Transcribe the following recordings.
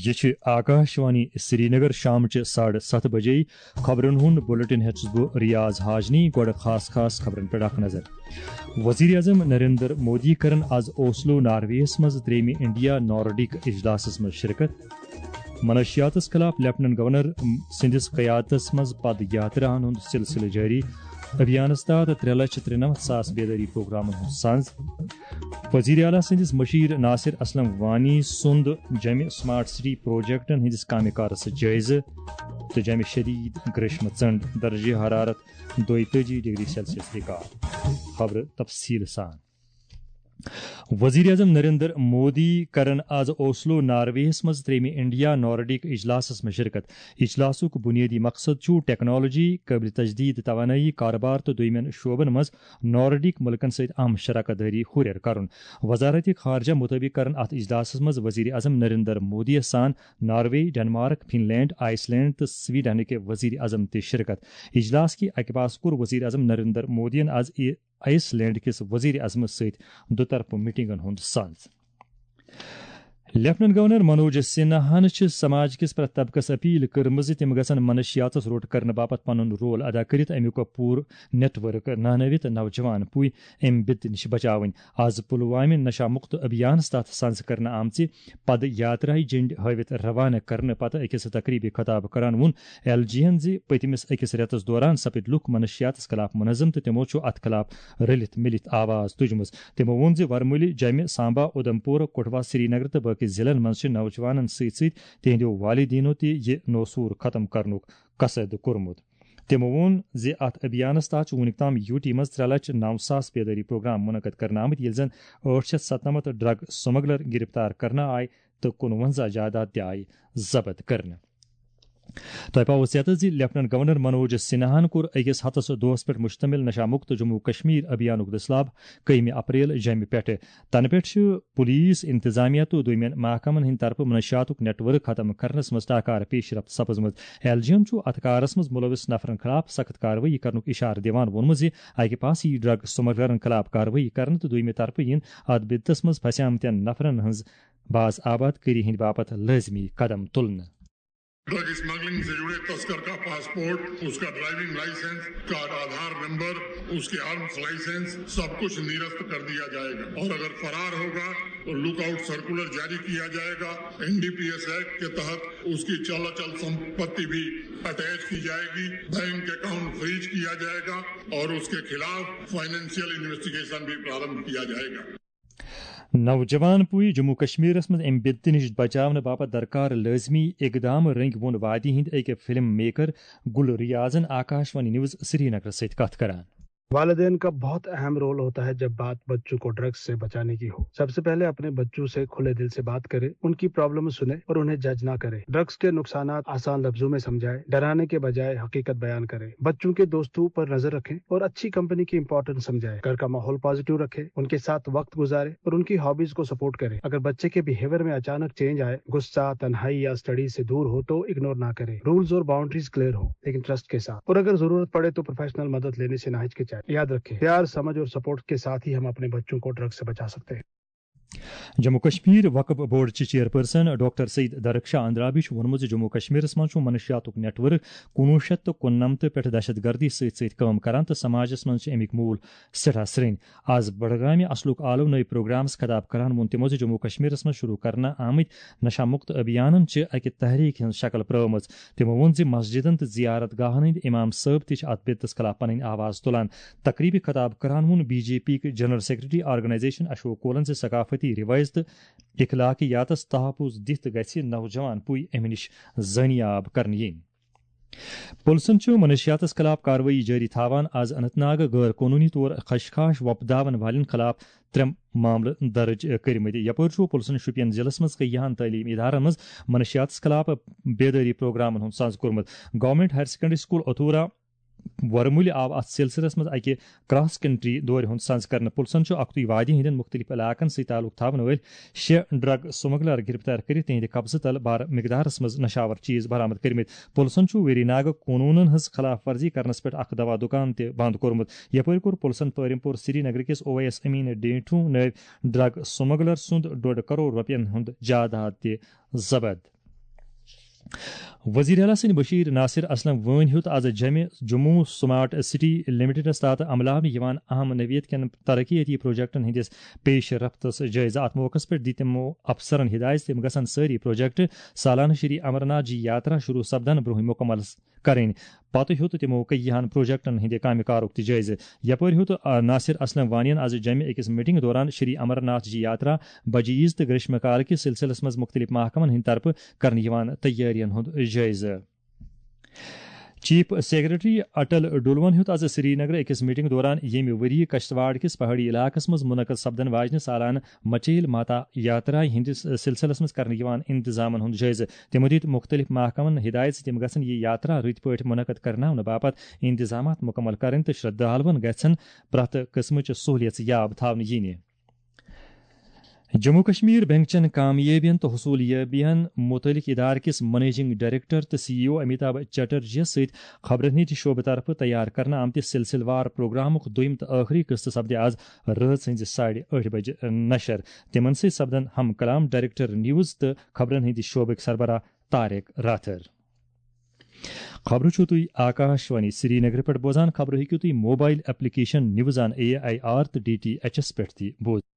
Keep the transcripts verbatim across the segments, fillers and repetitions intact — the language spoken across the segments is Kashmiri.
یہِ چھِ آکاشوانی سرینگر۔ شامچہِ ساڑٕ ستھ بجے خبرن ہُنٛد بلیٹن ہیٚژٕس بہٕ ریاض حاجنی۔ گۄڈٕ خاص خاص خبرن پٮ۪ٹھ اکھ نظر۔ وزیر اعظم نریندر مودی کرن از اوسلو نارویس منٛز ترٛیٚیمہِ انڈیا نارڈک اجلاسس منٛز شرکت۔ منشیاتس خلاف لیفٹیننٹ گورنر سٕنٛدِس قیادتس منٛز پد یاتراہن ہُنٛد سلسلہٕ جٲری۔ ابھیانس تحت ترٛےٚ لچھ ترٛنمتھ ساس بیدٲری پروگرامن ہُنٛد سنز۔ وزیر اعلیٰ سٕنٛدِس مشیر ناصر اسلم وانی سُنٛد جمہِ سمارٹ سٹی پروجیکٹن ہٕنٛدِس کامہِ کارس جٲیزٕ تہٕ جمہِ شدید گریشمہٕ ژنڈ، درجہ حرارت دۄیتٲجی ڈگری سیلسیس ریکارڈ۔ خبرٕ تفصیل سان۔ وزیر اعظم نریندر مودی کرن از اوسلو نارویس منٛز ترٛیٚیمہِ انڈیا نارڈک اجلاسس منٛز شرکت۔ اجلاسُک بنیٲدی مقصد چھُ ٹیکنالوجی، قٲبلِ تجدید توانٲیی، کارٕبار تہٕ دوٚیمٮ۪ن شعبن منٛز نارڈک مُلکن سۭتۍ اہم شراکت دٲری ہُرٮ۪ر کرُن۔ وزارت خارجہ مُطٲبِق کرن اتھ اجلاسس منٛز وزیر اعظم نریندر مودی یس سان ناروے، ڈنمارک، فن لینڈ، آئس لینڈ تہٕ سویڈنٕکۍ وزیر اعظم تہِ شرکت۔ اجلاس کہِ اکہِ پاس کوٚر وزیر اعظم نریندر مودیَن از ای-، آئس لینڈ کِس وزیر اعظمس سۭتۍ دُطرفہٕ میٹنگن ہُنٛد سنز۔ لیفٹیننٹ گورنر منوج سنہاہن چھِ سماج کِس پرٛٮ۪تھ طبقس اپیل کٔرمٕژ زِ تِم گژھن منشیاتس روٚٹ کرنہٕ باپتھ پنُن رول ادا کٔرِتھ امیُک پوٗرٕ نیٹ ورک نانٲوِتھ نوجوان پُے امہِ بِدتہٕ نِش بچاوٕنۍ۔ از پلوامہِ نشہ مکت ابھیانس تحت سنز کرنہٕ آمژِ پد یاتراہہِ جنڈ ہٲوِتھ روانہٕ کرنہٕ پتہٕ أکِس تقریبہِ خطاب کران ووٚن ایل جی ہن زِ پٔتمِس أکِس رٮ۪تس دوران سپٕدۍ لُکھ منشیاتس خلاف منظم تہٕ تِمو چھُ اتھ خلاف رٔلِتھ مِلِتھ آواز تُجمٕژ۔ تِمو ووٚن زِ ورمُلہِ، جمہِ، سامبا، اُدھمپور، کٹھوا، سرینگر تہٕ باقی ضلعن منٛز چھِ نوجوانن سۭتۍ سۭتۍ تِہنٛدیو والدینو تہِ یہِ نوسوٗر ختم کرنُک قصد کوٚرمُت۔ تِمو ووٚن زِ اتھ ابھیانس تحت چھُ وُنیُک تام یوٗ ٹی منٛز ترٛےٚ لچھ نو ساس بیدٲری پروگرام منعقد کرنہٕ آمٕتۍ، ییٚلہِ زن ٲٹھ شیٚتھ ستنمتھ ڈرگ سمگلر گرفتار کرنہٕ آے تہٕ کُنوَنزاہ جائیداد تہِ آیہِ ضبط کرنہٕ۔ تۄہہِ پاوو ژیتس زِ لیفٹیننٹ گورنر منوج سنہاہن کوٚر أکِس ہفتس دۄہس پٮ۪ٹھ مشتمل نشہ مکت جموں کشمیر ابھیانُک دٔسلاب کٔہمہِ اپریل جمہِ پٮ۪ٹھٕ۔ تنہٕ پٮ۪ٹھ چھِ پولیس، انتظامیہ تہٕ دوٚیمٮ۪ن محکمن ہٕنٛدِ طرفہٕ منشیاتُک نیٹ ورک ختم کرنس منٛز ٹاکار پیش رفت سپٕزمٕژ۔ ایل جی ہن چھُ اتھ کارس منٛز ملوث نفرن خلاف سخت کاروٲیی کرنُک اشارٕ دِوان ووٚنمُت زِ اکہِ پاسہٕ یِیہِ ڈرگ سمگلرن خلاف کاروٲیی کرنہٕ تہٕ دوٚیمہِ طرفہٕ یِن اتھ بدتس منٛز پھسیمتٮ۪ن نفرن ہٕنٛز باز آباد کٲری ہٕنٛدِ باپتھ لٲزمی قدم تُلنہٕ۔ ड्रग स्मगलिंग से जुड़े तस्कर का पासपोर्ट, उसका ड्राइविंग लाइसेंस, उसका आधार नंबर, उसके आर्म्स लाइसेंस, सब कुछ निरस्त कर दिया जाएगा। और अगर फरार होगा तो लुकआउट सर्कुलर जारी किया जाएगा। एनडीपीएस एक्ट के तहत उसकी चल अचल संपत्ति भी अटैच की जाएगी, बैंक अकाउंट फ्रीज किया जाएगा और उसके खिलाफ फाइनेंशियल इन्वेस्टिगेशन भी प्रारंभ किया जाएगा। نوجوان پُے جموں کشمیرس منٛز امہِ بدتہٕ نِش بچاونہٕ باپتھ درکار لٲزمی اقدام رٔنگۍ ووٚن وادی ہٕنٛدۍ أکۍ فلم میکر گل ریاضن آکاش وانی نیوز سرینگرس سۭتۍ کتھ کران۔ والدین کا بہت اہم رول ہوتا ہے جب بات بچوں کو ڈرگز سے بچانے کی ہو۔ سب سے پہلے اپنے بچوں سے کھلے دل سے بات کریں، ان کی پرابلم سنیں اور انہیں جج نہ کریں۔ ڈرگز کے نقصانات آسان لفظوں میں سمجھائیں، ڈرانے کے بجائے حقیقت بیان کریں۔ بچوں کے دوستوں پر نظر رکھیں اور اچھی کمپنی کی امپورٹنس سمجھائیں۔ گھر کا ماحول پازیٹیو رکھیں، ان کے ساتھ وقت گزاریں اور ان کی ہابیز کو سپورٹ کریں۔ اگر بچے کے بیہیویئر میں اچانک چینج آئے، غصہ، تنہائی یا اسٹڈیز سے دور ہو تو اگنور نہ کریں۔ رولز اور باؤنڈریز کلیئر ہو لیکن ٹرسٹ کے ساتھ، اور اگر ضرورت پڑے تو پروفیشنل مدد لینے سے نہ ہچکچائیں۔ یاد رکھیں، پیار، سمجھ اور سپورٹ کے ساتھ ہی ہم اپنے بچوں کو ڈرگ سے بچا سکتے ہیں۔ جموں کشمیر وقف بورڈ چہِ چیئرپرسن ڈاکٹر سعید درخشاہ اندرابی چھُ ووٚنمُت زِ جموں کشمیرس منٛز چھُ منشیاتُک نیٹ ورک کُنوُہ شیٚتھ تہٕ کُننمتھ پٮ۪ٹھ دہشت گردی سۭتۍ سۭتۍ کٲم کران تہٕ سماجس منٛز چھِ اَمِکۍ موٗل سٮ۪ٹھاہ سرٛنۍ۔ از بڈگامہِ اصلُک آلو نٔے پروگرامس خطاب کران ووٚن تِمو زِ جموں کشمیرس منٛز شروع کرنہٕ آمٕتۍ نشہ مکت ابھیانن چھِ اکہِ تحریک ہٕنٛز شکل پرٲومٕژ۔ تِمو ووٚن زِ مسجدن تہٕ زیارت گاہن ہٕنٛدۍ امام صٲب تہِ چھِ اتھ بدتس خلاف پنٕنۍ آواز تُلان۔ تقریبہِ خطاب کران ووٚن بی جے پی یٕکۍ جنرل سیکرٹری، آرگنائزیشن اشوک کولن زِ ثقافتی روایژ تہٕ اخلاقیاتس تحفظ دِتھ گژھِ نوجوان پُے امہِ نِش زٲنیاب کرنہٕ یِنۍ۔ پُلسن چھُ منشیاتس خلاف کاروٲیی جٲری تھاوان از اننت ناگ غٲر قونوٗنی طور خشخاش وۄپداون والٮ۪ن خلاف ترٛےٚ معاملہٕ درٕج کٔرمٕتۍ۔ یپٲرۍ چھُ پُلسن شوپین ضلعس منٛز کینٛہَن تعلیٖم ادارن منٛز منشیاتس خلاف بیدٲری پروگرامن ہُنٛد سنز کوٚرمُت۔ گورنمنٹ ہائر سیکنڈری سکول اتھورا ورمُلہِ آو اتھ سلسلس منٛز اکہِ کراس کنٹری دورِ ہُنٛد سنز کرنہٕ۔ پُلسن چھُ اکُے وادی ہٕنٛدٮ۪ن مُختٔلِف علاقن سۭتۍ تعلق تھاون وٲلۍ شےٚ ڈرگ سمگلر گرفتار کٔرِتھ تِہنٛدِ قبضہٕ تل بھارٕ مقدارس منٛز نشاور چیز برآمد کٔرمٕتۍ۔ پُلسن چھُ ویری ناگہٕ قونوٗنن ہٕنٛز خلاف ورزی کرنس پٮ۪ٹھ اکھ دوا دُکان تہِ بنٛد کوٚرمُت۔ یپٲرۍ کوٚر پُلسن پٲرِم پور سرینگرٕ کِس او ایس امین ڈینٹھو نٲوۍ ڈرگ سمگلر سُنٛد ڈۄڈ کرور رۄپین ہُنٛد جائیداد تہِ ضبط۔ وزیر اعلیٰ سٕنٛدۍ بشیر ناصر اسلم وٲنۍ ہیوٚت از جمہِ جموں سمارٹ سٹی لمیٹڈس تحت عملاونہٕ یِوان اہم نوعیت کٮ۪ن ترقیتی پروجیکٹن ہٕنٛدِس پیش رفتس جٲیزٕ۔ اتھ موقعس پٮ۪ٹھ دِتۍ تِمو افسرن ہدایت زِ تِم گژھن سٲری پروجیکٹ سالانہٕ شری امرناتھ جی یاترا شروع سپدن برونٛہہ مکمل کرٕنۍ۔ پتہٕ ہیوٚت تِمو کیٚیہن پروجیکٹن ہٕنٛدِ کامہِ کارُک تہِ جٲیزٕ۔ یپٲرۍ ہیوٚت، آ، ناصر اسلم وانین از جمہِ أکِس میٹنگ دوران شری امرناتھ جی یاترا بجعیز تہٕ گریشمہ کال کِس سلسلس منٛز مختلف محکمن ہٕنٛدِ طرفہٕ کرنہٕ یِوان تیٲرین ہُنٛد جٲیزٕ۔ چیف سیکرٹری اٹل ڈولون ہیوٚت از سرینگرٕ أکِس میٹنگ دوران ییٚمہِ ؤریہِ کشتواڑ کِس پہاڑی علاقس منٛز منعقد سپدن واجنہِ سالانہٕ مچیل ماتا یاترا ہٕنٛدِس سلسلس منٛز کرنہٕ یِوان انتظامن ہُنٛد جٲیزٕ۔ تِمو دِتۍ مُختٔلِف محکمن ہدایت زِ تِم گژھن یہِ یاترا رٕتۍ پٲٹھۍ منعقد کرناونہٕ باپتھ انتظامات مُکمل کرٕنۍ تہٕ شرٛدھالوَن گژھن پرٛٮ۪تھ قٕسمٕچ سہوٗلیژ یاب تھاونہٕ یِنہِ۔ جموں کشمیر بینک چٮ۪ن کامیٲبِین تہٕ حصوٗلیٲبِین مُتعلق ادارٕ کِس منیجنگ ڈائریکٹر تہٕ سی ای او امیتابھ چٹرجیَس سۭتۍ خبرن ہٕنٛدِ شعبہٕ طرفہٕ تیار کرنہٕ آمتِس سلسلہٕ وار پروگرامُک دوٚیِم تہٕ ٲخری قسطہٕ سپدِ از رٲژ ہٕنٛزِ ساڑِ ٲٹھِ بجہِ نشر۔ تِمن سۭتۍ سپدن ہم کلام ڈائریکٹر نیوز تہٕ خبرن ہٕنٛدِ شعبٕکۍ سربراہ طارق راتھر۔ خبرٕ چھِو تُہۍ آکاش وانی سرینگرٕ پٮ۪ٹھ بوزان۔ خبرٕ ہیٚکِو تُہۍ mobile application news on A I R تہٕ ڈی ٹی ایچ ایس پٮ۪ٹھ تہِ بوزِتھ۔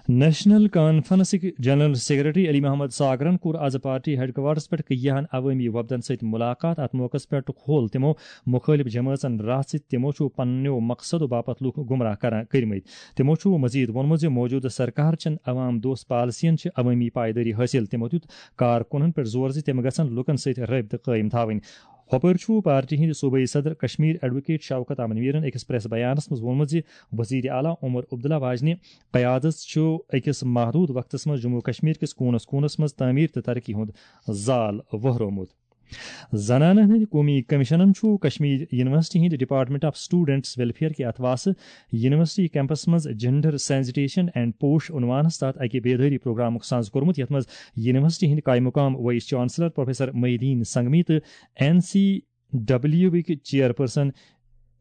نیشنل کانفرنسٕکۍ جنرل سیکرٹری علی محمد ساگرن کوٚر از پارٹی ہیڈ کوارٹرس پٮ۪ٹھ کیاہن عوٲمی وفدن سۭتۍ ملاقات۔ اتھ موقعس پٮ۪ٹھ کھول تِمو مُخٲلِف جمٲژن راہ زِ تِمو چھُ پننیو مقصدو باپتھ لوٗکھ گمراہ کران کٔرمٕتۍ۔ تِمو چھُ مزید ووٚنمُت زِ موجودٕ سرکار چٮ۪ن عوام دوست پالیسین چھِ عوٲمی پائیدٲری حٲصِل۔ تِمو دیُت کارکُنن پٮ۪ٹھ زور زِ تِم گژھن لوٗکن سۭتۍ رٲبطہٕ قٲیِم تھاوٕنۍ۔ ہۄپٲرۍ چھُ پارٹی ہٕنٛدۍ صوبٲئی صدر کشمیر ایڈووکیٹ شوکت احمد میرن أکِس پریس بیانس منٛز ووٚنمُت زِ وزیر اعلیٰ عمر عبداللہ واجنہِ قیادت چھُ أکِس محدود وقتس منٛز جموں کشمیر کِس کوٗنس کوٗنس منٛز تعمیٖر تہٕ ترقی ہُنٛد زال وہرومُت۔ زنانن ہٕنٛدِ قومی کمیشنن چھُ کشمیر یونیورسٹی ہٕنٛدِ ڈپارٹمنٹ آف اسٹوڈنٹس ویلفیئر کہِ اتھواسہٕ یونیورسٹی کیمپس منٛز جینڈر سینسٹیشن اینڈ پوش عنوانس تحت اکہِ بیدٲری پروگرامُک ساز کوٚرمُت، یتھ منٛز یونیورسٹی ہٕنٛدۍ قائم مقام vice chancellor professor Mohi Uddin Sangmi تہٕ این سی ڈبلیو وٕکۍ چیئرپرسن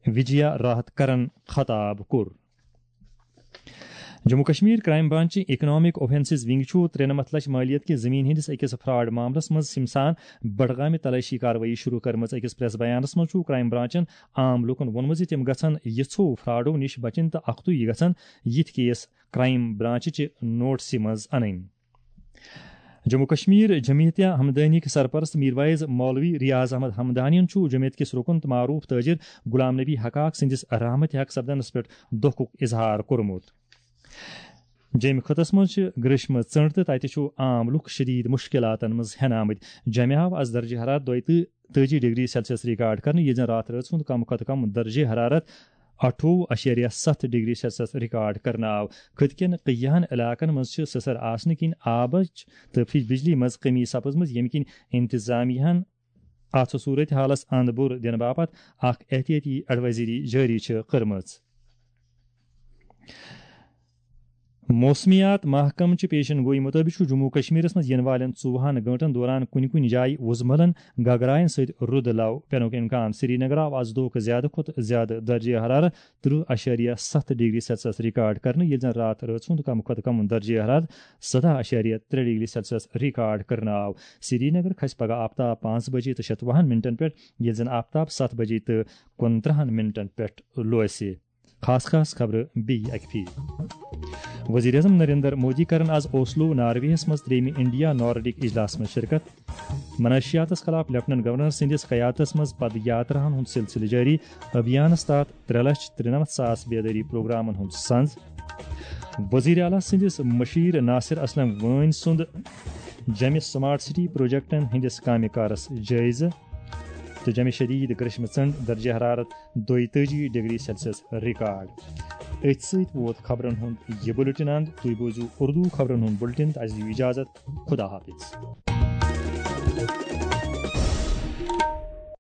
وجیا راحت کرن خطاب کوٚر۔ Jammu Kashmir crime branch economic offences wing چھُ ترٛےٚ نمتھ لچھ مالیت کہِ زمین ہٕنٛدِس أکِس فراڈ معاملس منٛز سمسان بڈگامہِ تلٲشی کاروٲیی شروع کٔرمٕژ۔ أکِس پریس بیانس منٛز چھُ کرائم برانچن عام لوٗکن ووٚنمُت زِ تِم گژھن یِژھو فراڈو نِش بچٕنۍ تہٕ اختی گژھن یِتھۍ کیس کرائم برانچ چہِ نوٹسہِ منٛز انٕنۍ۔ جموں کشمیر جمعیتہ ہمدانی کہِ سرپرست میرویز مولوی ریاض احمد ہمدانین چھُ جمعیت کِس رکن تہٕ معروف تاجر غلام نبی حقاق سٕنٛدِس رحمتِ حق سپدنس پٮ۪ٹھ دۄکھُک اظہار کوٚرمُت۔ جیٚمہِ خطس منٛز چھِ گریشمہٕ ژٔنٛڈ تہٕ تتہِ چھُ عام لُکھ شدید مشکلاتن منٛز ہٮ۪نہٕ آمٕتۍ۔ جیٚمہِ آو از درجہ حرارت دۄیہِ تہٕ تٲجی ڈگری سیلسیس ریکارڈ کرنہٕ، ییٚلہِ زن راتھ رٲژ ہُنٛد کم کھۄتہٕ کم درجہ حرارت اَٹھووُہ اَشیریہ ستھ ڈگری سیلسیس ریکارڈ کرنہٕ آو۔ خٕطہٕ کٮ۪ن کینٛہَن علاقن منٛز چھِ سٕسر آسنہٕ کِنۍ آبٕچ تہٕ فج بجلی منٛز کمی سپٕزمٕژ، ییٚمہِ کِنۍ انتظامیہ ہن اتھ صورت حالس اند بُر دِنہٕ باپتھ اکھ احتیاطی ایڈوائزری جٲری چھِ کٔرمٕژ۔ موسمیات محکمہٕ چہِ پیشن گوئی مُطٲبِق چھُ جموں کشمیرس منٛز یِنہٕ والٮ۪ن ژوٚوُہن گٲنٛٹن دوران کُنہِ کُنہِ جایہِ وُزملن گگراین سۭتۍ رُد لو پینُک امکان۔ سرینگرٕ آو از دۄہُک زیادٕ کھۄتہٕ زیادٕ درجہ حرارت ترٕٛہ اَشیریہ ستھ ڈگری سیلسیس ریکارڈ کرنہٕ، ییٚلہِ زن راتھ رٲژ ہُنٛد کم کھۄتہٕ کم درجہ حرارت سداہ اَشیریہ ترٛےٚ ڈگری سیلسیس ریکارڈ کرنہٕ آو۔ سرینگر کھسہِ پگہہ آفتاب پانٛژھ بجے تہٕ شتوُہن منٹن پٮ۪ٹھ، ییٚلہِ زن آفتاب ستھ بجے تہٕ کُنترٕہن منٹن پٮ۪ٹھ لوسہِ۔ خاص خاص خبرٕ بیٚیہِ اکہِ پھِرِ۔ وزیر اعظم نریندر مودی کرن از اوسلو نارویس منٛز ترٛیٚیمہِ انڈیا نارڈک اجلاسس منٛز شرکت۔ منشیاتس خلاف لیفٹیننٹ گورنر سٕنٛدِس قیادتس منٛز پد یاتراہن ہُنٛد سلسلہٕ جٲری۔ ابھیانس تحت ترٛےٚ لچھ ترٛنمتھ ساس بیدٲری پروگرامن ہُنٛد سنز۔ وزیر اعلیٰ سٕنٛدِس مشیر ناصر اسلم وٲنۍ سُنٛد جمہِ سمارٹ سٹی پروجیکٹن ہٕنٛدِس کامہِ کارس جٲیزٕ تہٕ جمہِ شدید گرشمہٕ ژنڈ درجہ حرارت دۄیتٲجی ڈگری سیلسیس ریکارڈ۔ أتھۍ سۭتۍ ووت خبرن ہُنٛد یہِ بُلٹن اند۔ تُہۍ بوٗزِو اردو خبرن ہُنٛد بُلٹن تہٕ اَسہِ دِیِو اجازت۔ خدا حافظ۔